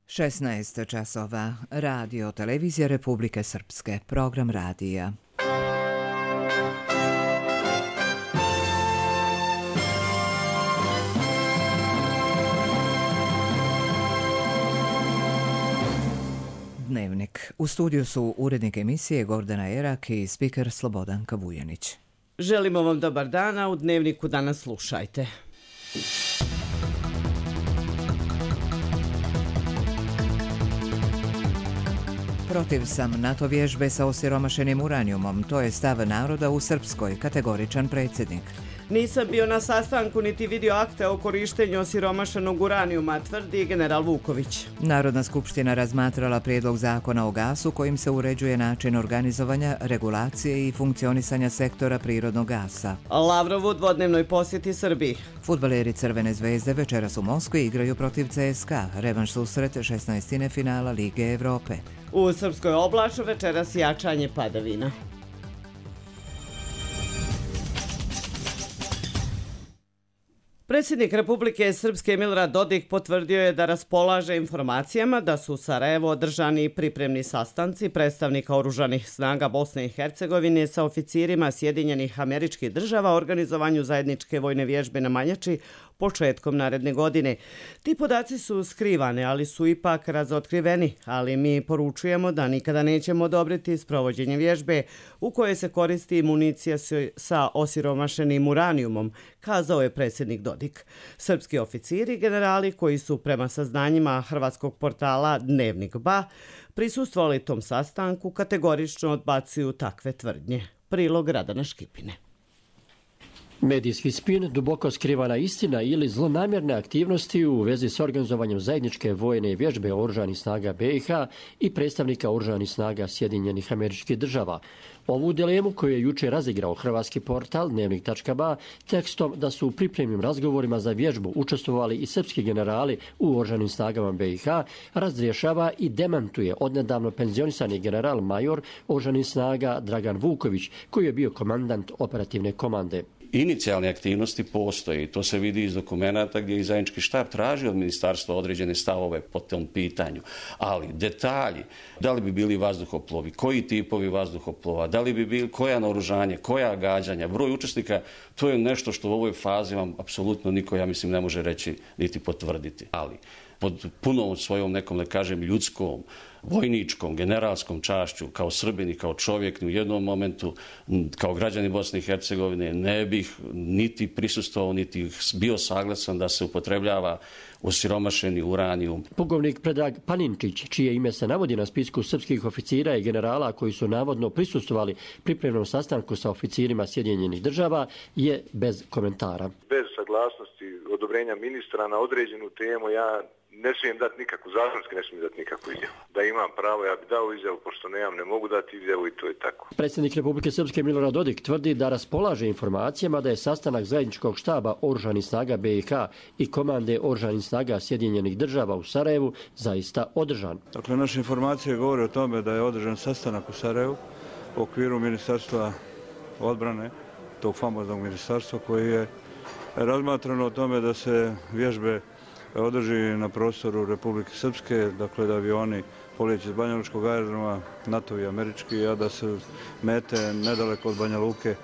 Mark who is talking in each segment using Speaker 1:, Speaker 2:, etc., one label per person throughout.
Speaker 1: 16 časova. Radio Televizija Republike Srpske. Program radija. Dnevnik. U studiju su urednik emisije Gordana Erak i spiker Slobodanka Vujanić.
Speaker 2: Želimo vam dobar dan, a u Dnevniku danas slušajte.
Speaker 1: Protiv sam NATO vježbe sa osiromašenim uranijumom, to je stav naroda u Srpskoj, kategoričan predsjednik.
Speaker 2: Nisam bio na sastanku niti vidio akte o korištenju osiromašenog uranijuma, tvrdi general Vuković.
Speaker 1: Narodna skupština razmatrala prijedlog zakona o gasu kojim se uređuje način organizovanja, regulacije i funkcionisanja sektora prirodnog gasa.
Speaker 2: Lavrov u dvodnevnoj posjeti Srbiji.
Speaker 1: Fudbaleri Crvene zvezde večeras u Moskvi igraju protiv CSKA, revanš susret 16. finala Lige Evrope.
Speaker 2: U Srpskoj oblaču večeras jačanje padavina. Predsjednik Republike Srpske Milorad Dodik potvrdio je da raspolaže informacijama da su u Sarajevu održani pripremni sastanci predstavnika oružanih snaga Bosne i Hercegovine sa oficirima Sjedinjenih Američkih Država o organizovanju zajedničke vojne vježbe na Manjači početkom naredne godine. Ti podaci su skrivani, ali su ipak razotkriveni, ali mi poručujemo da nikada nećemo odobriti sprovođenje vježbe u kojoj se koristi municija sa osiromašenim uranijumom, kazao je predsjednik Dodik. Srpski oficiri i generali koji su prema saznanjima hrvatskog portala Dnevnik BA prisustvovali tom sastanku kategorično odbacuju takve tvrdnje. Prilog Radana Škipine.
Speaker 3: Medijski spin, duboko skrivana istina ili zlonamjerne aktivnosti u vezi s organizovanjem zajedničke vojne vježbe oružanih snaga BiH i predstavnika oružanih snaga Sjedinjenih Američkih Država. Ovu dilemu koju je jučer razigrao hrvatski portal Dnevnik.ba tekstom da su u pripremnim razgovorima za vježbu učestvovali i srpski generali u oružanim snagama BiH, razrješava i demantuje odnedavno penzionisani general major oružanih snaga Dragan Vuković, koji je bio komandant operativne komande.
Speaker 4: Inicijalne aktivnosti postoje i to se vidi iz dokumenata gdje je zajednički štab traži od ministarstva određene stavove po tom pitanju. Ali detalji, da li bi bili vazduhoplovi, koji tipovi vazduhoplova, da li bi bili koja naoružanje, koja gađanja, broj učesnika, to je nešto što u ovoj fazi vam apsolutno niko, ja mislim, ne može reći niti potvrditi. Ali pod punom svojom nekom, da kažem, ljudskom, vojničkom, generalskom čašću, kao Srbin i kao čovjek, u jednom momentu, kao građani Bosne i Hercegovine, ne bih niti prisustvovao, niti bio saglasan da se upotrebljava osiromašeni uranijum.
Speaker 3: Pukovnik Predrag Paninčić, čije ime se navodi na spisku srpskih oficira i generala koji su navodno prisustvovali pripremnom sastanku sa oficirima Sjedinjenih Država, je bez komentara.
Speaker 5: Bez saglasnosti odobrenja ministra na određenu temu ja ne smijem dati nikakvu, zakonski ne smijem dati nikakvu izjavu. Da imam pravo, ja bi dao izjavu, pošto nemam, ne mogu dati izjavu i to je tako.
Speaker 3: Predsjednik Republike Srpske Milorad Dodik tvrdi da raspolaže informacijama da je sastanak zajedničkog štaba oružanih snaga BiH i komande oružanih snaga Sjedinjenih Država u Sarajevu zaista održan.
Speaker 6: Dakle, naše informacije govore o tome da je održan sastanak u Sarajevu u okviru Ministarstva odbrane, tog famoznog ministarstva koji je razmatrano o tome da se vježbe održi na prostoru Republike Srpske, dakle da avioni polijeće iz Banja Lučkog aerodroma, NATO i američki, a da se mete nedaleko od Banja Luke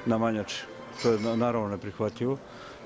Speaker 6: na Manjači. To je naravno neprihvatljivo,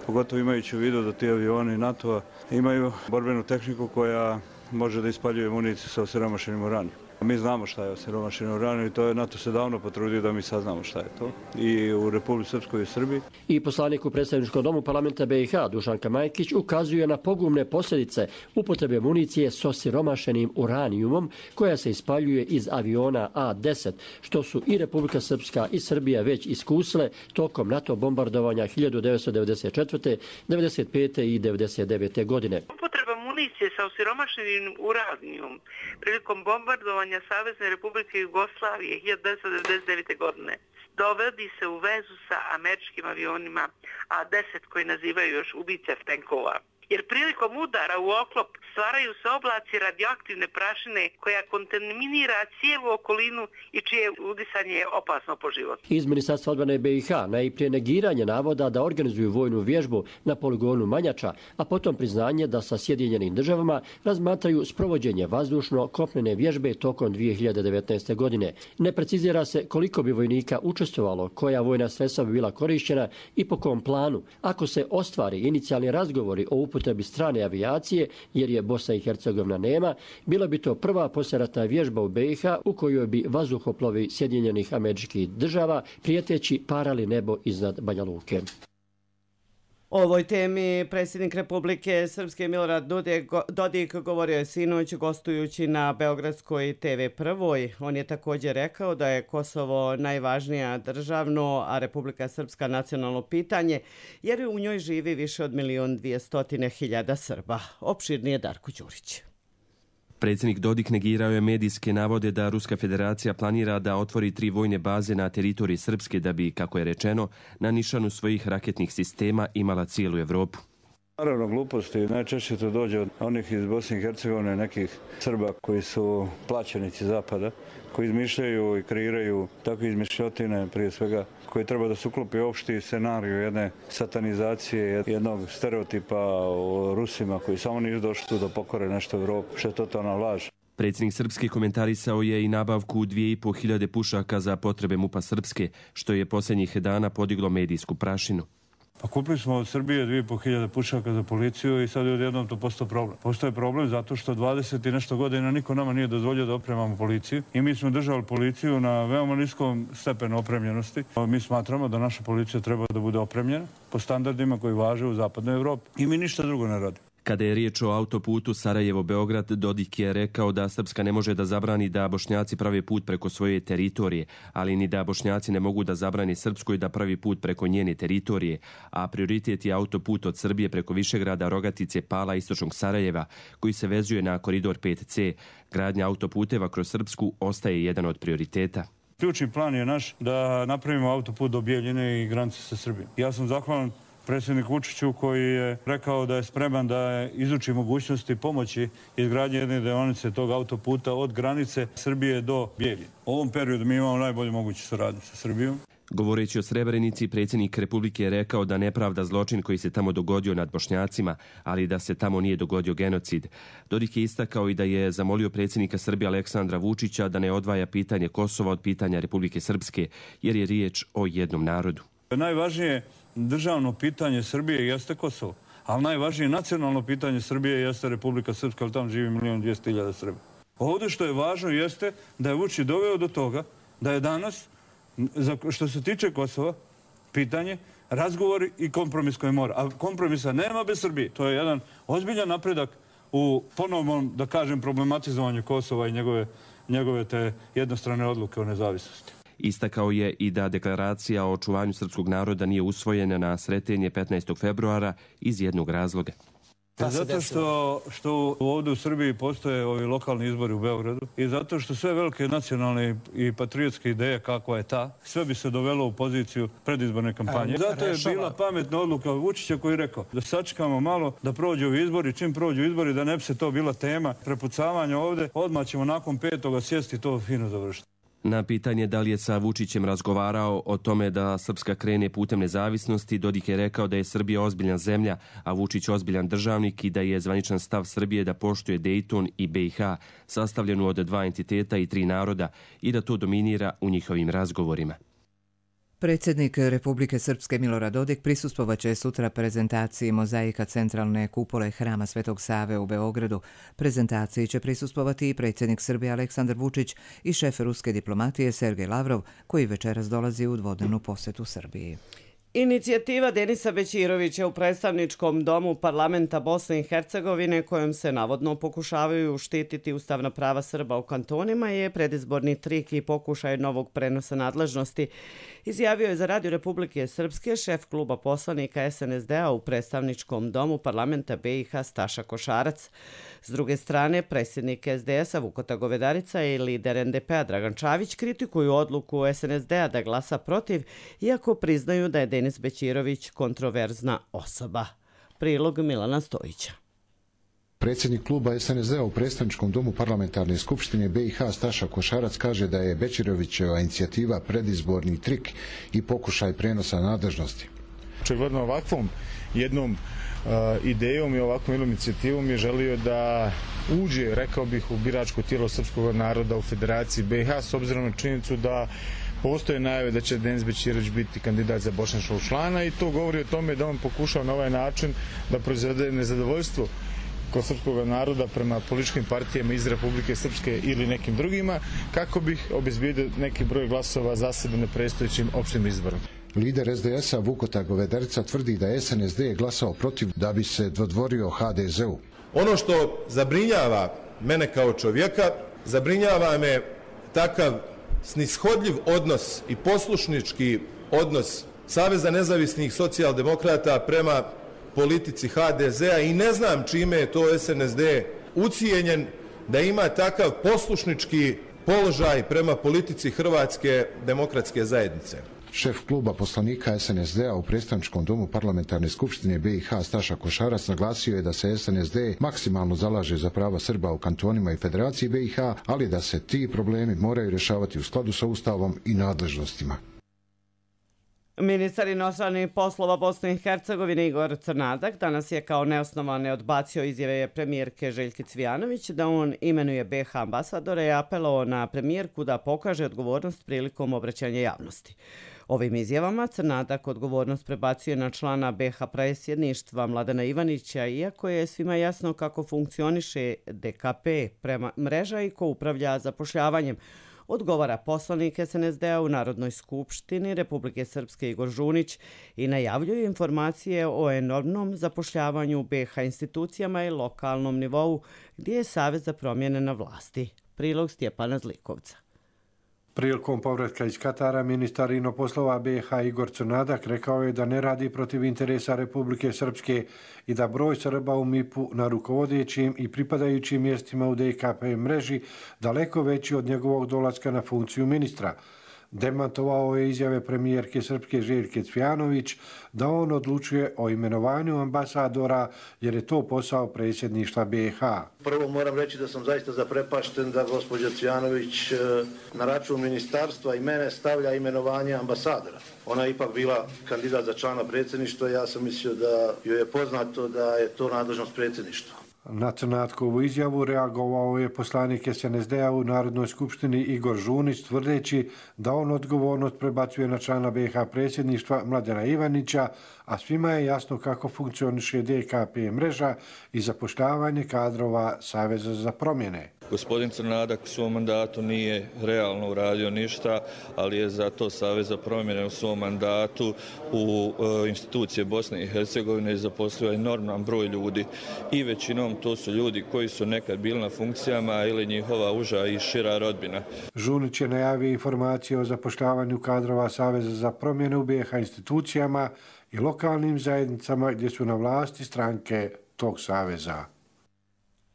Speaker 6: pogotovo imajući u vidu da ti avioni NATO-a imaju borbenu tehniku koja može da ispaljuje municiju sa osiromašenim uranijom. Mi znamo šta je osiromašeni uranijum i to je NATO se davno potrudio da mi saznamo šta je to. I u Republici Srpskoj i Srbiji.
Speaker 3: I poslanik u predstavničkom domu parlamenta BiH Dušanka Majkić ukazuje na pogubne posljedice upotrebe municije s osiromašenim uranijumom koja se ispaljuje iz aviona A-10, što su i Republika Srpska i Srbija već iskusile tokom NATO bombardovanja 1994., 1995. i 1999. godine.
Speaker 7: Municije sa osiromašenim uranijumom prilikom bombardovanja Savezne Republike Jugoslavije 1999. godine dovodi se u vezu sa američkim avionima A-10 koji nazivaju još ubice tenkova. jer prilikom udara u oklop stvaraju se oblaci radioaktivne prašine koja kontaminira cijelu okolinu i čije udisanje je opasno po život.
Speaker 3: Iz Ministarstva odbrane BiH najprije negiranje navoda da organizuju vojnu vježbu na poligonu Manjača, a potom priznanje da sa Sjedinjenim državama razmatraju sprovođenje vazdušno-kopnene vježbe tokom 2019. godine. Ne precizira se koliko bi vojnika učestvovalo, koja vojna sredstva bi bila korištena i po kom planu. Ako se ostvari inicijalni razgovori o upotrebi strane avijacije, jer je Bosna i Hercegovina nema, bila bi to prva poslijeratna vježba u BiH u kojoj bi vazduhoplovi Sjedinjenih Američkih Država prijeteći parali nebo iznad Banja Luke.
Speaker 2: O ovoj temi predsjednik Republike Srpske Milorad Dodik govorio je sinoć gostujući na Beogradskoj TV Prvoj. On je također rekao da je Kosovo najvažnija državno, a Republika Srpska nacionalno pitanje, jer u njoj živi više od 1.200.000 Srba. Opširnije Darko Đurić.
Speaker 8: Predsjednik Dodik negirao je medijske navode da Ruska federacija planira da otvori 3 vojne baze na teritoriji Srpske da bi, kako je rečeno, na nišanu svojih raketnih sistema imala cijelu Evropu.
Speaker 6: Naravno, gluposti. Najčešće to dođe od onih iz Bosne i Hercegovine, nekih Srba koji su plaćenici Zapada, koji izmišljaju i kreiraju takve izmišljotine, prije svega, koji treba da se uklopi opšti scenariju jedne satanizacije, jednog stereotipa o Rusima koji samo nisu došli tu da pokore nešto u Evropu, što je totalna laž.
Speaker 8: Predsjednik Srpske komentarisao je i nabavku 2.500 pušaka za potrebe MUP-a Srpske, što je posljednjih dana podiglo medijsku prašinu.
Speaker 6: Pa kupili smo od Srbije 2.500 pušaka za policiju i sad je odjednom to postao problem. Postao je problem zato što 20 i nešto godina niko nama nije dozvolio da opremamo policiju i mi smo držali policiju na veoma niskom stepenu opremljenosti. Mi smatramo da naša policija treba da bude opremljena po standardima koji važe u zapadnoj Evropi i mi ništa drugo ne radimo.
Speaker 8: Kada je riječ o autoputu Sarajevo-Beograd, Dodik je rekao da Srpska ne može da zabrani da Bošnjaci prave put preko svoje teritorije, ali ni da Bošnjaci ne mogu da zabrani Srpskoj da pravi put preko njene teritorije, a prioritet je autoput od Srbije preko Višegrada, Rogatice, Pala, istočnog Sarajeva, koji se vezuje na koridor 5C. Gradnja autoputeva kroz Srpsku ostaje jedan od prioriteta.
Speaker 6: Ključni plan je naš da napravimo autoput do Bijeljine i granice sa Srbijom. Ja sam zahvalan predsjednik Vučiću koji je rekao da je spreman da izuči mogućnosti pomoći izgradnje jedne deonice tog autoputa od granice Srbije do Bijeljine. U ovom periodu mi imamo najbolju moguću saradnju sa Srbijom.
Speaker 8: Govoreći o Srebrenici, predsjednik Republike je rekao da ne pravda zločin koji se tamo dogodio nad Bošnjacima, ali da se tamo nije dogodio genocid. Dodik je istakao i da je zamolio predsjednika Srbije Aleksandra Vučića da ne odvaja pitanje Kosova od pitanja Republike Srpske, jer je riječ o jednom narodu.
Speaker 6: Najvažnije državno pitanje Srbije jeste Kosovo, ali najvažnije nacionalno pitanje Srbije jeste Republika Srpska, ali tamo živi 1.200.000 Srba. Ovdje što je važno jeste da je Vučić doveo do toga da je danas, što se tiče Kosova, pitanje, razgovori i kompromis koji mora. A kompromisa nema bez Srbije. To je jedan ozbiljan napredak u ponovnom, da kažem, problematizovanju Kosova i njegove te jednostrane odluke o nezavisnosti.
Speaker 8: Istakao je i da deklaracija o očuvanju srpskog naroda nije usvojena na Sretenje 15. februara iz jednog razloga.
Speaker 6: Zato što ovdje u Srbiji postoje ovi lokalni izbori u Beogradu i zato što sve velike nacionalne i patriotske ideje kakva je ta, sve bi se dovelo u poziciju predizborne kampanje. Zato je bila pametna odluka Vučića koji je rekao da sačekamo malo da prođu ovi izbori, čim prođu izbori da ne bi se to bila tema prepucavanja ovdje, odmah ćemo nakon 5. sjesti to fino završiti.
Speaker 8: Na pitanje da li je sa Vučićem razgovarao o tome da Srpska krene putem nezavisnosti, Dodik je rekao da je Srbija ozbiljna zemlja, a Vučić ozbiljan državnik i da je zvaničan stav Srbije da poštuje Dejton i BiH, sastavljenu od 2 entiteta i 3 naroda, i da to dominira u njihovim razgovorima.
Speaker 1: Predsjednik Republike Srpske Milorad Dodik prisustvovaće sutra prezentaciji mozaika centralne kupole Hrama Svetog Save u Beogradu. Prezentaciji će prisustvovati i predsjednik Srbije Aleksandar Vučić i šef ruske diplomatije Sergej Lavrov, koji večeras dolazi u dvodnevnu posjetu Srbiji.
Speaker 2: Inicijativa Denisa Bećirovića u predstavničkom domu parlamenta Bosne i Hercegovine, kojom se navodno pokušavaju štititi ustavna prava Srba u kantonima, je predizborni trik i pokušaj novog prenosa nadležnosti, izjavio je za Radio Republike Srpske šef kluba poslanika SNSD-a u predstavničkom domu parlamenta BiH Staša Košarac. S druge strane, predsjednik SDS-a Vukota Govedarica i lider NDP-a Dragan Čavić kritikuju odluku SNSD-a da glasa protiv, iako priznaju da je Denis Bećirović kontroverzna osoba. Prilog Milana Stojića.
Speaker 9: Predsjednik kluba SNSD-a u predstavničkom domu parlamentarne skupštine BiH Staša Košarac kaže da je Bećirovićeva inicijativa predizborni trik i pokušaj prenosa nadležnosti.
Speaker 10: Očigledno ovakvom jednom idejom i ovakvom jednom inicijativom je želio da uđe, rekao bih, u biračko tijelo srpskog naroda u Federaciji BiH, s obzirom na činjenicu da postoje najave da će Denis Bećirović biti kandidat za bošnjačkog člana i to govori o tome da on pokušao na ovaj način da proizvede nezadovoljstvo kod srpskog naroda prema političkim partijama iz Republike Srpske ili nekim drugima, kako bih obezbijedio neki broj glasova za sebe na predstojećim opštim izborom.
Speaker 9: Lider SDS-a Vukota Govederca tvrdi da SNSD je glasao protiv da bi se dodvorio HDZ-u.
Speaker 11: Ono što zabrinjava mene kao čovjeka, zabrinjava me takav snishodljiv odnos i poslušnički odnos Saveza nezavisnih socijaldemokrata prema politici HDZ-a i ne znam čime je to SNSD ucijenjen da ima takav poslušnički položaj prema politici Hrvatske demokratske zajednice.
Speaker 9: Šef kluba poslanika SNSD-a u predstavničkom domu parlamentarne skupštine BiH Staša Košarac naglasio je da se SNSD maksimalno zalaže za prava Srba u kantonima i Federaciji BiH, ali da se ti problemi moraju rješavati u skladu sa Ustavom i nadležnostima.
Speaker 2: Ministar inostranih poslova Bosne i Hercegovine Igor Crnadak danas je kao neosnovane odbacio izjave premijerke Željke Cvijanović da on imenuje BiH ambasadora i apelovao na premijerku da pokaže odgovornost prilikom obraćanja javnosti. Ovim izjavama Crnadak odgovornost prebacuje na člana BiH predsjedništva Mladena Ivanića, iako je svima jasno kako funkcioniše DKP prema mreža i ko upravlja zapošljavanjem, odgovara poslanik SNSD-a u Narodnoj skupštini Republike Srpske Igor Žunić i najavljuje informacije o enormnom zapošljavanju u BiH institucijama i lokalnom nivou gdje je Savez za promjene na vlasti. Prilog Stjepana Zlikovca.
Speaker 12: Prilikom povratka iz Katara, ministar inoposlova BiH Igor Crnadak rekao je da ne radi protiv interesa Republike Srpske i da broj Srba u MIP-u na rukovodećim i pripadajućim mjestima u DKP mreži daleko veći od njegovog dolaska na funkciju ministra. Demantovao je izjave premijerke Srpske Željke Cvijanović da on odlučuje o imenovanju ambasadora jer je to posao predsjedništva BiH.
Speaker 13: Prvo moram reći da sam zaista zaprepašten da gospođa Cvijanović na račun ministarstva i mene stavlja imenovanje ambasadora. Ona je ipak bila kandidat za člana predsjedništva i ja sam mislio da joj je poznato da je to nadležnost predsjedništva.
Speaker 12: Na Crnatkovu izjavu reagovao je poslanik SNSD-a u Narodnoj skupštini Igor Žunić tvrdeći da on odgovornost prebacuje na člana BiH predsjedništva Mladena Ivanića, a svima je jasno kako funkcioniše DKP mreža i zapošljavanje kadrova Saveza za promjene.
Speaker 14: Gospodin Crnadak u svom mandatu nije realno uradio ništa, ali je zato Savez za promjene u svom mandatu u institucije Bosne i Hercegovine zaposlio enorman broj ljudi i većinom to su ljudi koji su nekad bili na funkcijama ili njihova uža i šira rodbina.
Speaker 12: Žunić je najavio informacije o zapošljavanju kadrova Saveza za promjene u BiH institucijama i lokalnim zajednicama gdje su na vlasti stranke tog saveza.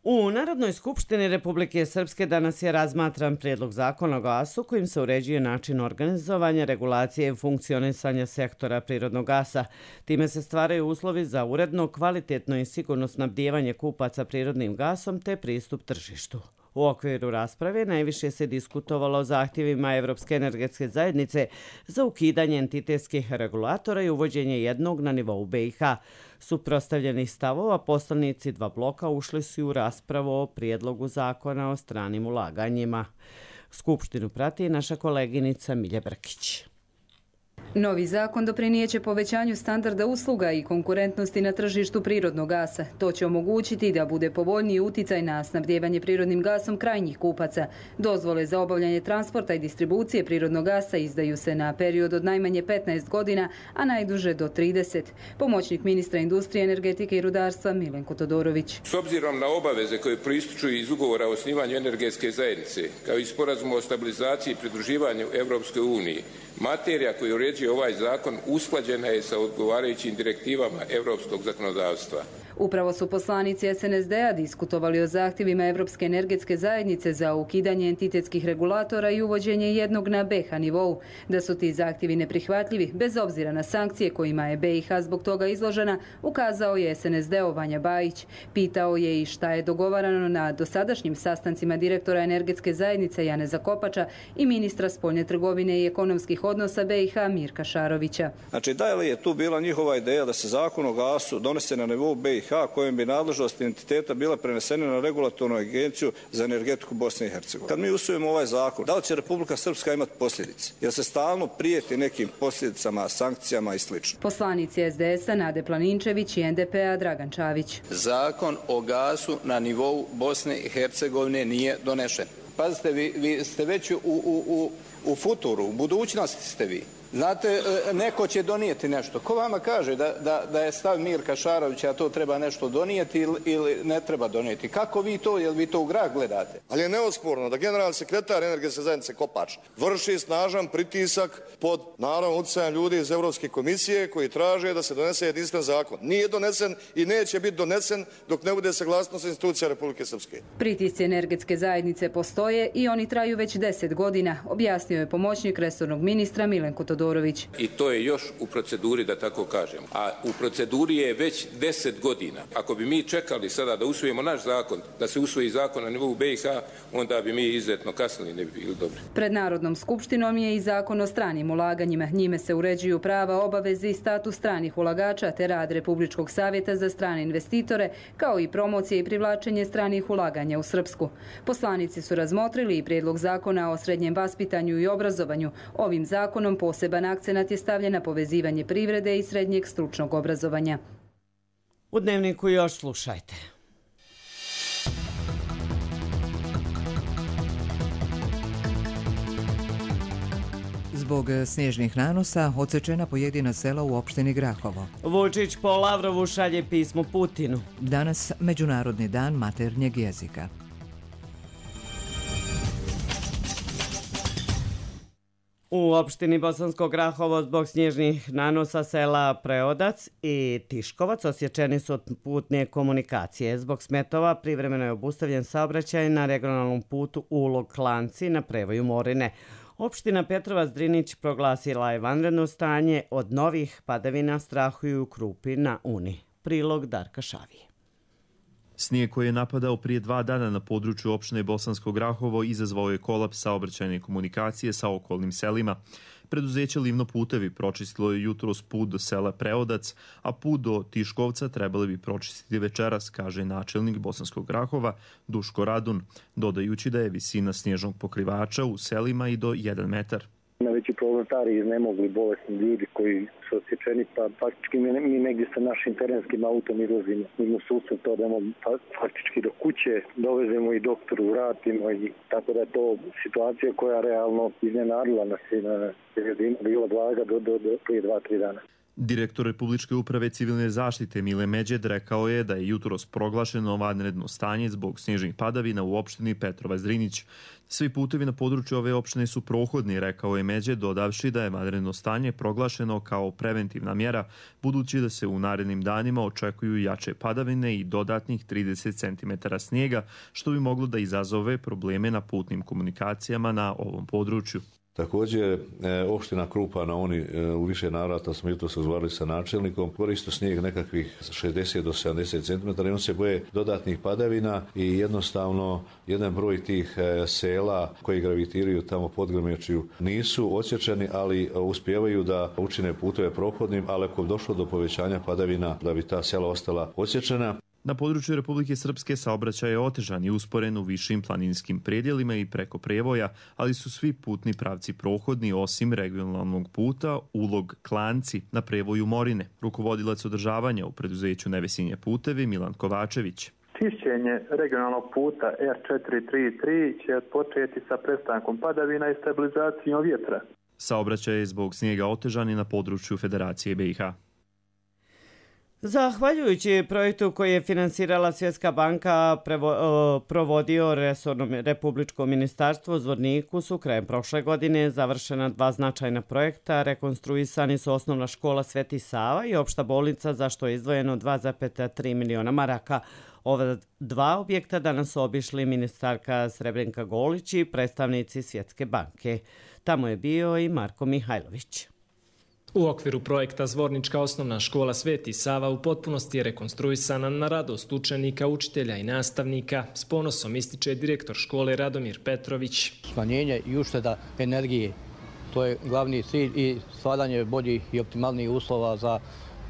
Speaker 2: U Narodnoj skupštini Republike Srpske danas je razmatran prijedlog zakona o gasu kojim se uređuje način organizovanja, regulacije i funkcionisanja sektora prirodnog gasa. Time se stvaraju uslovi za uredno, kvalitetno i sigurno snabdijevanje kupaca prirodnim gasom te pristup tržištu. U okviru rasprave najviše se diskutovalo o zahtjevima Evropske energetske zajednice za ukidanje entitetskih regulatora i uvođenje jednog na nivou BiH. Suprotstavljenih stavova poslanici dva bloka ušli su u raspravu o prijedlogu zakona o stranim ulaganjima. Skupštinu prati naša koleginica Milja Brkić.
Speaker 15: Novi zakon doprinijeće povećanju standarda usluga i konkurentnosti na tržištu prirodnog gasa. To će omogućiti da bude povoljniji uticaj na snabdijevanje prirodnim gasom krajnjih kupaca. Dozvole za obavljanje transporta i distribucije prirodnog gasa izdaju se na period od najmanje 15 godina, a najduže do 30. Pomoćnik ministra industrije, energetike i rudarstva Milenko Todorović.
Speaker 16: S obzirom na obaveze koje proističu iz ugovora o osnivanju energetske zajednice, kao i sporazuma o stabilizaciji i pridruživanju Evropskoj uniji, materija koju uređuje ovaj zakon usklađena je sa odgovarajućim direktivama europskog zakonodavstva.
Speaker 15: Upravo su poslanici SNSD-a diskutovali o zahtjevima Europske energetske zajednice za ukidanje entitetskih regulatora i uvođenje jednog na BiH nivou. Da su ti zahtjevi neprihvatljivi, bez obzira na sankcije kojima je BiH zbog toga izložena, ukazao je SNSD-ov Vanja Bajić. Pitao je i šta je dogovarano na dosadašnjim sastancima direktora energetske zajednice Janeza Kopača i ministra spoljne trgovine i ekonomskih odnosa BiH Mirka Šarovića.
Speaker 17: Znači, da li je tu bila njihova ideja da se zakon o gasu donese na nivou BiH kojem bi nadležnost entiteta bila prenesena na regulatornu agenciju za energetiku Bosne i Hercegovine? Kad mi usvojimo ovaj zakon, da li će Republika Srpska imati posljedice? Jer se stalno prijeti nekim posljedicama, sankcijama i sl.
Speaker 15: Poslanici SDS-a Nade Planinčević i NDP-a Dragan Čavić.
Speaker 18: Zakon o gasu na nivou Bosne i Hercegovine nije donešen. Pazite, vi ste već u futuru, u budućnosti ste vi. Znate, neko će donijeti nešto. Ko vama kaže da je stav Mirka Šarovića, a to treba nešto donijeti ili ne treba donijeti? Kako vi to, jel vi to u grad gledate?
Speaker 19: Ali je neosporno da generalni sekretar energetske zajednice Kopač vrši snažan pritisak pod naravno utjecajem ljudi iz Europske komisije koji traže da se donese jedinstven zakon. Nije donesen i neće biti donesen dok ne bude saglasnost institucija Republike Srpske.
Speaker 15: Pritisci energetske zajednice postoje i oni traju već 10 godina, objasnio je pomoćnik resornog ministra Milenko Todorović.
Speaker 16: I to je još u proceduri, da tako kažem. A u proceduri je već 10 godina. Ako bi mi čekali sada da usvojimo naš zakon, da se usvoji zakon na nivou BiH, onda bi mi izuzetno kasnili, ne bi bili dobri.
Speaker 15: Pred Narodnom skupštinom je i zakon o stranim ulaganjima. Njime se uređuju prava, obaveze i status stranih ulagača te rad Republičkog savjeta za strane investitore, kao i promocije i privlačenje stranih ulaganja u Srpsku. Poslanici su razmotrili i prijedlog zakona o srednjem vaspitanju i obrazovanju. Ovim zakonom poseban akcenat je stavljen na povezivanje privrede i srednjeg stručnog obrazovanja.
Speaker 2: U Dnevniku još slušajte.
Speaker 1: Zbog snježnih nanosa odsečena pojedina sela u opštini Grahovo.
Speaker 2: Vučić po Lavrovu šalje pismo Putinu.
Speaker 1: Danas Međunarodni dan maternjeg jezika.
Speaker 2: U opštini Bosansko Grahovo zbog snježnih nanosa sela Preodac i Tiškovac osječeni su od putne komunikacije. Zbog smetova privremeno je obustavljen saobraćaj na regionalnom putu Ulog-Klanci na prevoju Morine. Opština Petrovac Drinić proglasila je vanredno stanje, od novih padavina strahuju Krupi na Uni. Prilog Darka Šavije.
Speaker 20: Snijeg koji je napadao prije 2 dana na području opštine Bosansko Grahovo izazvao je kolaps saobraćajne komunikacije sa okolnim selima. Preduzeće Livno putevi pročistilo je jutros put do sela Preodac, a put do Tiškovca trebali bi pročistiti večeras, kaže načelnik Bosanskog Grahova Duško Radun, dodajući da je visina snježnog pokrivača u selima i do 1 metar.
Speaker 21: Najveći problem stari iznemogli bolesni ljudi koji su osjećeni, pa faktički mi negdje sa našim terenskim autom izlazimo mimo susret, to da faktički do kuće dovezemo i doktoru vratimo, i tako da je to situacija koja realno iznenadila nas i na bila blaga do prije 2-3 dana.
Speaker 20: Direktor Republičke uprave civilne zaštite Mile Međed rekao je da je jutros proglašeno vanredno stanje zbog snježnih padavina u opštini Petrovac Drinić. Svi putevi na području ove opštine su prohodni, rekao je Međed, dodavši da je vanredno stanje proglašeno kao preventivna mjera, budući da se u narednim danima očekuju jače padavine i dodatnih 30 cm snijega, što bi moglo da izazove probleme na putnim komunikacijama na ovom području.
Speaker 22: Također, opština Krupa na Uni u više navrata smo jutros razgovarali sa načelnikom, koristo snijeg nekakvih 60 do 70 cm i on se boje dodatnih padavina i jednostavno jedan broj tih sela koji gravitiraju tamo pod Grmečiju nisu odsječeni, ali uspijevaju da učine putove prohodnim, ali ako je došlo do povećanja padavina da bi ta sela ostala odsječena.
Speaker 20: Na području Republike Srpske saobraćaj je otežan i usporen u višim planinskim predjelima i preko Prevoja, ali su svi putni pravci prohodni osim regionalnog puta Ulog-Klanci na prevoju Morine. Rukovodilac održavanja u preduzeću Nevesinje putevi Milan Kovačević.
Speaker 23: Čišćenje regionalnog puta R433 će početi sa prestankom padavina i stabilizacijom vjetra.
Speaker 20: Saobraćaj je zbog snijega otežan i na području Federacije BiH.
Speaker 2: Zahvaljujući projektu koji je finansirala Svjetska banka, provodio resorno Republičko ministarstvo u Zvorniku su krajem prošle godine završena 2 značajna projekta. Rekonstruisani su osnovna škola Sveti Sava i opšta bolnica, za što je izdvojeno 2,3 miliona maraka. Ova 2 objekta danas su obišli ministarka Srebrenka Golić i predstavnici Svjetske banke. Tamo je bio i Marko Mihajlović.
Speaker 4: U okviru projekta Zvornička osnovna škola Sveti Sava u potpunosti je rekonstruisana na radost učenika, učitelja i nastavnika. S ponosom ističe direktor škole Radomir Petrović.
Speaker 5: Smanjenje i ušteda energije, to je glavni cilj i stvaranje boljih i optimalnijih uslova za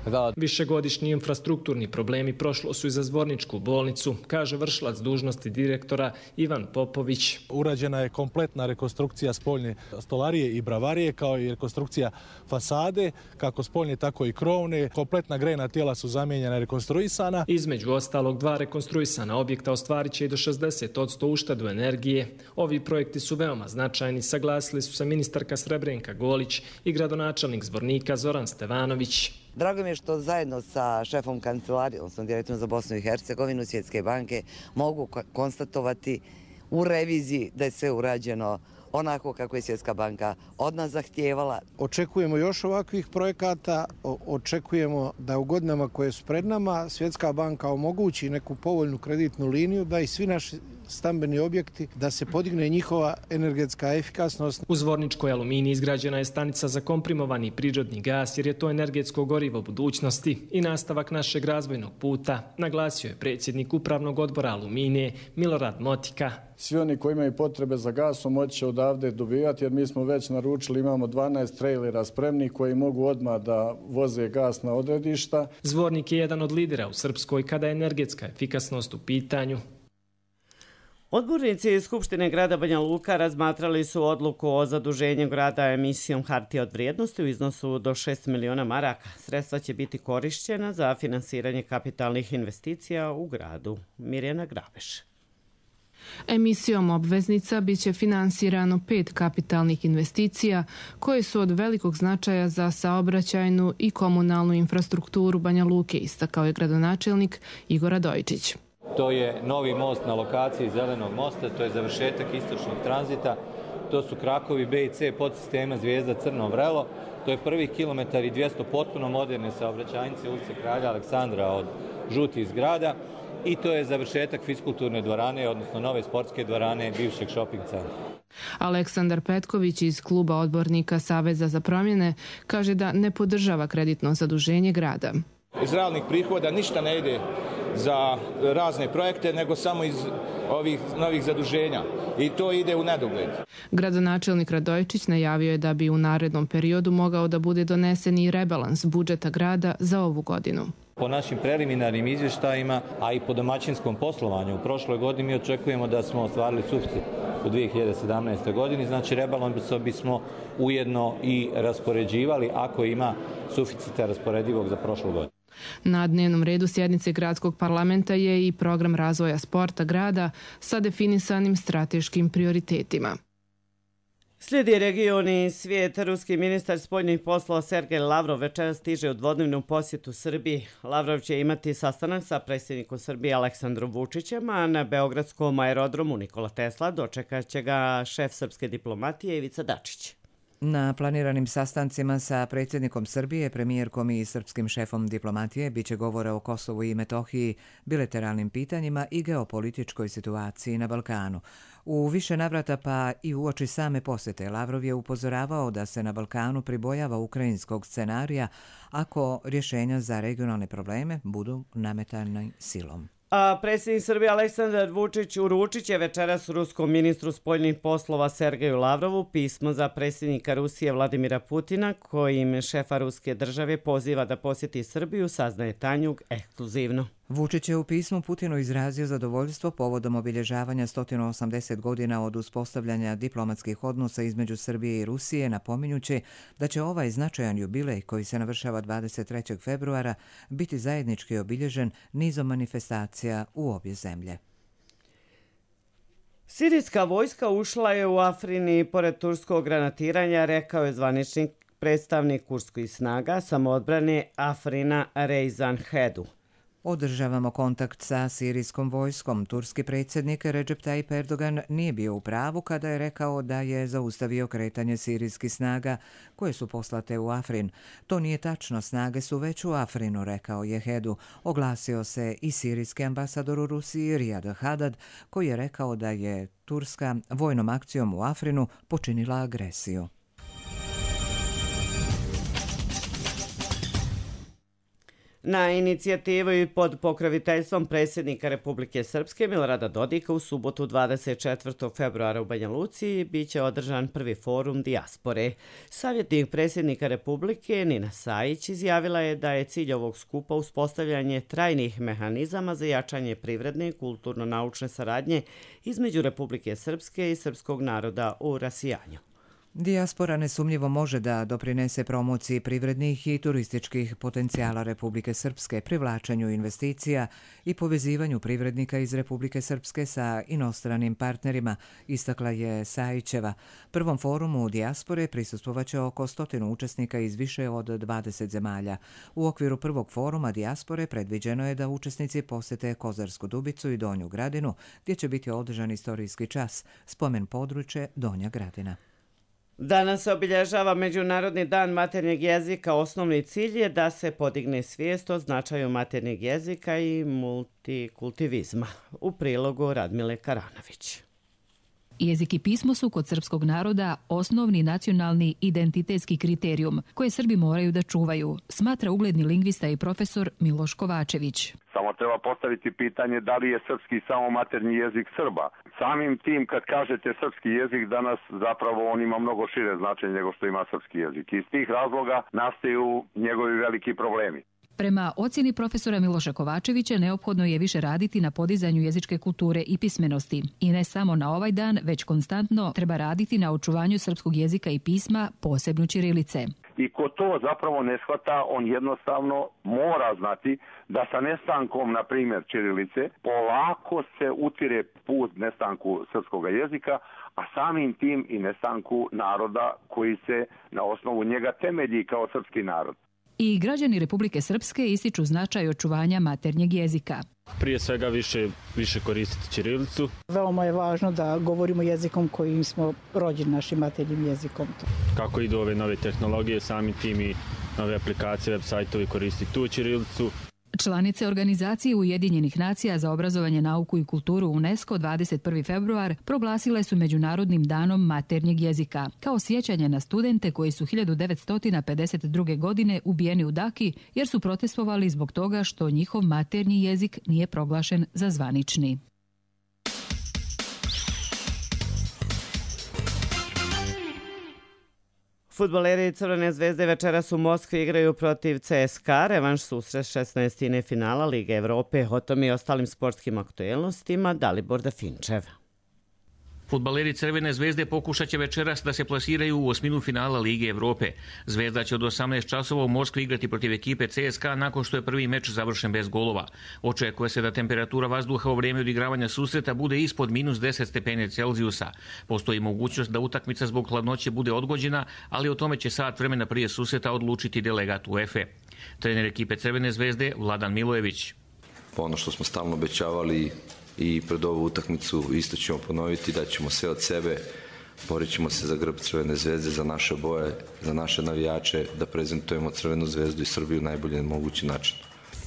Speaker 5: rad.
Speaker 4: Višegodišnji infrastrukturni problemi prošlo su i za Zvorničku bolnicu, kaže vršilac dužnosti direktora Ivan Popović.
Speaker 7: Urađena je kompletna rekonstrukcija spoljne stolarije i bravarije, kao i rekonstrukcija fasade, kako spoljne tako i krovne. Kompletna grejna tijela su zamijenjena i rekonstruisana.
Speaker 4: Između ostalog 2 rekonstruisana objekta ostvarit će i do 60% uštedu energije. Ovi projekti su veoma značajni, saglasili su se ministarka Srebrenka Golić i gradonačelnik Zvornika Zoran Stevanović.
Speaker 24: Drago mi je što zajedno sa šefom kancelarije, odnosno direktorom za Bosnu i Hercegovinu, Svjetske banke, mogu konstatovati u reviziji da je sve urađeno onako kako je Svjetska banka od nas zahtijevala.
Speaker 25: Očekujemo još ovakvih projekata, očekujemo da u godinama koje su pred nama Svjetska banka omogući neku povoljnu kreditnu liniju, da i svi naši stambeni objekti, da se podigne njihova energetska efikasnost.
Speaker 4: U Zvorničkoj Aluminiji izgrađena je stanica za komprimovani prirodni gas, jer je to energetsko gorivo budućnosti i nastavak našeg razvojnog puta, naglasio je predsjednik Upravnog odbora Aluminije Milorad Motika.
Speaker 26: Svi oni koji imaju potrebe za gasom moći će odavde dobivati, jer mi smo već naručili, imamo 12 trailera spremnih koji mogu odmah da voze gas na odredišta.
Speaker 4: Zvornik je jedan od lidera u Srpskoj kada je energetska efikasnost u pitanju.
Speaker 2: Odbornici Skupštine grada Banja Luka razmatrali su odluku o zaduženju grada emisijom hartija od vrijednosti u iznosu do 6 miliona maraka. Sredstva će biti korišćena za finansiranje kapitalnih investicija u gradu. Mirjana Graveš.
Speaker 27: Emisijom obveznica biće finansirano 5 kapitalnih investicija koje su od velikog značaja za saobraćajnu i komunalnu infrastrukturu Banja Luke, istakao je gradonačelnik Igor Radojičić.
Speaker 28: To je novi most na lokaciji Zelenog mosta, to je završetak istočnog tranzita, to su krakovi B i C podsistema Zvijezda Crno Vrelo, to je prvih kilometar i 200 potpuno moderne saobraćajnice ulice Kralja Aleksandra od Žutih zgrada i to je završetak fiskulturne dvorane, odnosno nove sportske dvorane bivšeg shopping centra.
Speaker 27: Aleksandar Petković iz kluba odbornika Saveza za promjene kaže da ne podržava kreditno zaduženje grada.
Speaker 29: Iz realnih prihoda ništa ne ide za razne projekte, nego samo iz ovih novih zaduženja i to ide u nedogled.
Speaker 27: Gradonačelnik Radojičić najavio je da bi u narednom periodu mogao da bude donesen i rebalans budžeta grada za ovu godinu.
Speaker 28: Po našim preliminarnim izvještajima, a i po domaćinskom poslovanju u prošloj godini mi očekujemo da smo ostvarili suficit u 2017. godini, znači rebalansom bismo ujedno i raspoređivali ako ima suficita rasporedivog za prošlu godinu.
Speaker 27: Na dnevnom redu sjednice gradskog parlamenta je i program razvoja sporta grada sa definisanim strateškim prioritetima.
Speaker 2: Slijedi regioni svijet. Ruski ministar spoljnih poslova Sergej Lavrov večeras stiže u dvodnevnu posjetu Srbiji. Lavrov će imati sastanak sa predsjednikom Srbije Aleksandrom Vučićem, a na beogradskom aerodromu Nikola Tesla dočekat će ga šef srpske diplomatije Ivica Dačić.
Speaker 1: Na planiranim sastancima sa predsjednikom Srbije, premijerkom i srpskim šefom diplomatije biće govora o Kosovu i Metohiji, bilateralnim pitanjima i geopolitičkoj situaciji na Balkanu. U više navrata pa i uoči same posjete Lavrov je upozoravao da se na Balkanu pribojava ukrajinskog scenarija ako rješenja za regionalne probleme budu nametane silom.
Speaker 2: A predsjednik Srbije Aleksandar Vučić uručit će večeras ruskom ministru spoljnih poslova Sergeju Lavrovu pismo za predsjednika Rusije Vladimira Putina, kojim šefa ruske države poziva da posjeti Srbiju, saznaje Tanjug ekskluzivno.
Speaker 1: Vučić je u pismu Putinu izrazio zadovoljstvo povodom obilježavanja 180 godina od uspostavljanja diplomatskih odnosa između Srbije i Rusije, napominjući da će ovaj značajan jubilej koji se navršava 23. februara biti zajednički obilježen nizom manifestacija u obje zemlje.
Speaker 2: Sirijska vojska ušla je u Afrini pored turskog granatiranja, rekao je zvaničnik predstavnik kurdskih snaga samoodbrane Afrina Reizanhedu.
Speaker 1: Održavamo kontakt sa sirijskom vojskom. Turski predsjednik Recep Tayyip Erdogan nije bio u pravu kada je rekao da je zaustavio kretanje sirijskih snaga koje su poslate u Afrin. To nije tačno, snage su već u Afrinu, rekao je Hedu. Oglasio se i sirijski ambasador u Rusiji Riyad Haddad, koji je rekao da je Turska vojnom akcijom u Afrinu počinila agresiju.
Speaker 2: Na inicijativu i pod pokroviteljstvom predsjednika Republike Srpske Milorada Dodika u subotu 24. februara u Banja Luci biće održan prvi forum dijaspore. Savjetnik predsjednika Republike Nina Sajić izjavila je da je cilj ovog skupa uspostavljanje trajnih mehanizama za jačanje privredne i kulturno-naučne saradnje između Republike Srpske i srpskog naroda u rasijanju.
Speaker 1: Dijaspora nesumnjivo može da doprinese promociji privrednih i turističkih potencijala Republike Srpske, privlačenju investicija i povezivanju privrednika iz Republike Srpske sa inostranim partnerima, istakla je Sajićeva. Prvom forumu dijaspore prisustvovaće oko 100 učesnika iz više od 20 zemalja. U okviru prvog foruma dijaspore predviđeno je da učesnici posete Kozarsku Dubicu i Donju Gradinu, gdje će biti održan istorijski čas, spomen područje Donja Gradina.
Speaker 2: Danas se obilježava Međunarodni dan maternjeg jezika. Osnovni cilj je da se podigne svijest o značaju maternjeg jezika i multikultivizma. U prilogu Radmile Karanović.
Speaker 3: Jezik i pismo su kod srpskog naroda osnovni nacionalni identitetski kriterijum koje Srbi moraju da čuvaju, smatra ugledni lingvista i profesor Miloš Kovačević.
Speaker 6: Samo treba postaviti pitanje da li je srpski samo maternji jezik Srba. Samim tim kad kažete srpski jezik danas zapravo on ima mnogo šire značenje nego što ima srpski jezik. Iz tih razloga nastaju njegovi veliki problemi.
Speaker 3: Prema ocjeni profesora Miloša Kovačevića neophodno je više raditi na podizanju jezičke kulture i pismenosti. I ne samo na ovaj dan, već konstantno treba raditi na očuvanju srpskog jezika i pisma, posebno ćirilice.
Speaker 6: I ko to zapravo ne shvata, on jednostavno mora znati da sa nestankom, na primjer, ćirilice, polako se utire put nestanku srpskog jezika, a samim tim i nestanku naroda koji se na osnovu njega temelji kao srpski narod.
Speaker 3: I građani Republike Srpske ističu značaj očuvanja maternjeg jezika.
Speaker 8: Prije svega više koristiti ćirilicu.
Speaker 9: Veoma je važno da govorimo jezikom kojim smo rođeni, našim maternjim jezikom.
Speaker 8: Kako idu ove nove tehnologije, samim tim i nove aplikacije, web sajtovi koristiti tu ćirilicu.
Speaker 3: Članice Organizacije Ujedinjenih nacija za obrazovanje, nauku i kulturu UNESCO 21. februar proglasile su Međunarodnim danom maternjeg jezika, kao sjećanje na studente koji su 1952. godine ubijeni u Daki jer su protestovali zbog toga što njihov maternji jezik nije proglašen za zvanični.
Speaker 2: Fudbaleri Crvene zvezde večeras u Moskvi igraju protiv CSKA, revanš susret 16. finala Lige Evrope. O tom i ostalim sportskim aktuelnostima Dalibor Dafinčev.
Speaker 10: Fudbaleri Crvene zvezde pokušat će večeras da se plasiraju u osminu finala Lige Evrope. Zvezda će od 18 časova u Moskvi igrati protiv ekipe CSKA nakon što je prvi meč završen bez golova. Očekuje se da temperatura vazduha u vrijeme odigravanja susreta bude ispod -10 stepeni Celzijusa. Postoji mogućnost da utakmica zbog hladnoće bude odgođena, ali o tome će sat vremena prije susreta odlučiti delegat UEFA. Trener ekipe Crvene zvezde Vladan Milojević.
Speaker 11: Ono što smo stalno obećavali i pred ovu utakmicu isto ćemo ponoviti, da ćemo sve od sebe, borit ćemo se za grb Crvene zvezde, za naše boje, za naše navijače, da prezentujemo Crvenu zvezdu i Srbiju najbolje mogući način.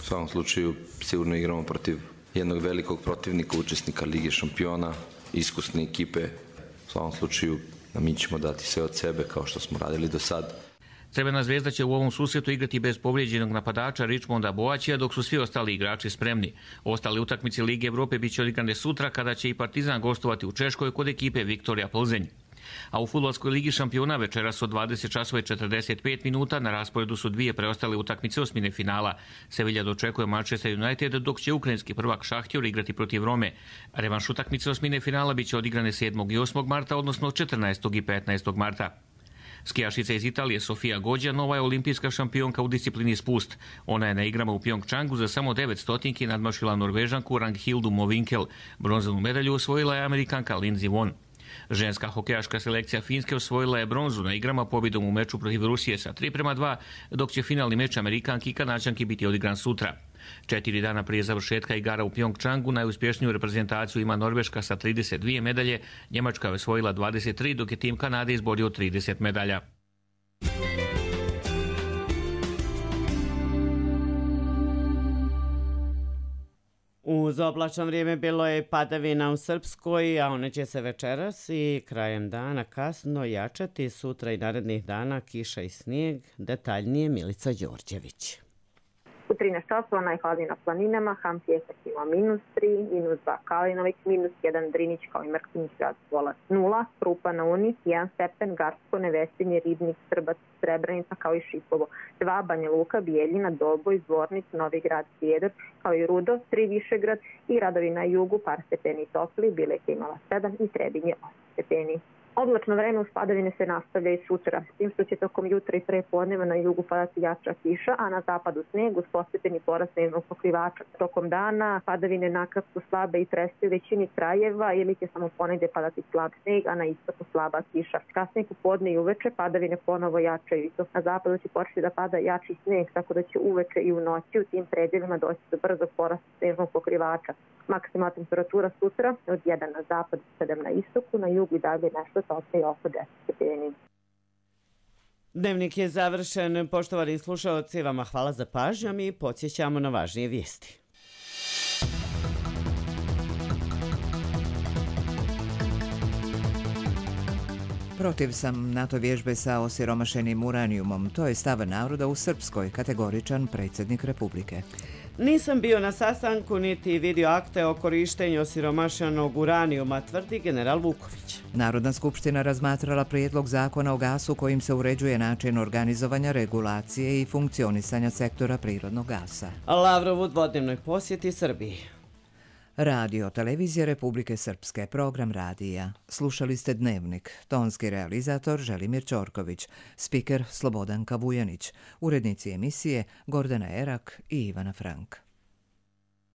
Speaker 11: U svakom slučaju sigurno igramo protiv jednog velikog protivnika, učesnika Lige šampiona, iskusne ekipe. U svakom slučaju mi ćemo dati sve od sebe kao što smo radili do sad.
Speaker 10: Crvena zvezda će u ovom susretu igrati bez povrijeđenog napadača Richmonda Boaćija, dok su svi ostali igrači spremni. Ostale utakmice Lige Evrope bit će odigrane sutra kada će i Partizan gostovati u Češkoj kod ekipe Viktorija Plzenj. A u Fudbalskoj ligi šampiona večeras od 20:45 na rasporedu su dvije preostale utakmice osmine finala. Sevilla dočekuje Manchester United, dok će ukrajinski prvak Šahtjor igrati protiv Rome. Revanš utakmice osmine finala bit će odigrane 7. i 8. marta, odnosno 14. i 15. marta. Skijašica iz Italije Sofia Gođa nova je olimpijska šampionka u disciplini spust. Ona je na igrama u Pjongčangu za samo 9 stotinki nadmašila Norvežanku Ranghildu Movinkel. Bronzanu medalju osvojila je Amerikanka Lindsey Vonn. Ženska hokejaška selekcija Finske osvojila je bronzu na igrama pobjedom u meču protiv Rusije sa 3:2, dok će finalni meč Amerikanki i Kanačanki biti odigran sutra. 4 dana prije završetka igara u Pjongčangu najuspješniju reprezentaciju ima Norveška sa 32 medalje, Njemačka je osvojila 23, dok je tim Kanade izborio 30 medalja.
Speaker 2: Uz oblačno vrijeme bilo je padavina u Srpskoj, a one će se večeras i krajem dana kasno jačati, sutra i narednih dana kiša i snijeg. Detaljnije Milica Đorđević.
Speaker 12: U 13 časova najhladnije na planinama, Ham Pjesak ima -3, -2 Kalinović, -1 Drinić kao i Mrkinić grad Volac 0, Krupa na Uni 1 stepen, Garsko, Nevesinje, Ribnik, Srbac, Srebrenica kao i Šipovo 2, Banja Luka, Bijeljina, Doboj, Zvornic, Novi Grad, Sjedor kao i Rudo 3, Višegrad i gradovi na jugu par stepeni topli, Bileka imala 7 i Trebinje 8 stepeni. Oblačno vreme uz padavine se nastavlja i sutra, s tim što će tokom jutra i prepodneva na jugu padati jača kiša, a na zapadu sneg uz postepeni porast snežnog pokrivača. Tokom dana padavine nakratko slabe i treste u većini krajeva ili će samo ponegdje padati slab sneg, a na istoku slaba kiša. Kasnije popodne i uveče padavine ponovo jačaju i to na zapadu će početi da pada jači sneg, tako da će uveče i u noći u tim predjelima doći do brzog porasta snežnog pokrivača. Maksimalna temperatura sutra od 1 na zapad, 7 na istoku, na jugu i dalje nešto tople i oko 10 stepeni.
Speaker 2: Dnevnik je završen. Poštovani slušalci, vama hvala za pažnju, mi podsjećamo na važnije vijesti.
Speaker 1: Protiv sam NATO vježbe sa osiromašenim uranijumom. To je stav naroda u Srpskoj, kategoričan predsjednik Republike.
Speaker 2: Nisam bio na sastanku niti vidio akte o korištenju osiromašenog uranijuma, tvrdi general Vuković.
Speaker 1: Narodna skupština razmatrala prijedlog zakona o gasu kojim se uređuje način organizovanja, regulacije i funkcionisanja sektora prirodnog gasa.
Speaker 2: Lavrov u dvodnevnoj posjeti Srbiji.
Speaker 1: Radio Televizija Republike Srpske, program radija. Slušali ste Dnevnik, tonski realizator Želimir Ćorković, spiker Slobodanka Vujanić, urednici emisije Gordana Erak i Ivana Frank.